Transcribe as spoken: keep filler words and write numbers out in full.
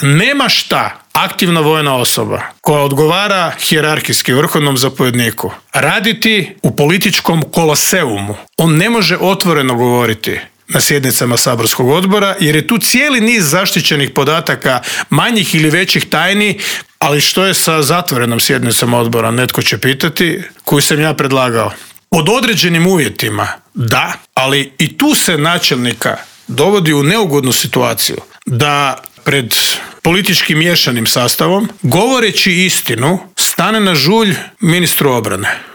nema šta aktivna vojna osoba koja odgovara hijerarhijski vrhovnom zapovjedniku raditi u političkom koloseumu. On ne može otvoreno govoriti na sjednicama saborskog odbora, jer je tu cijeli niz zaštićenih podataka, manjih ili većih tajni, ali što je sa zatvorenom sjednicom odbora, netko će pitati, koju sam ja predlagao. Pod određenim uvjetima, da, ali i tu se načelnika dovodi u neugodnu situaciju da pred politički miješanim sastavom, govoreći istinu, stane na žulj ministru obrane.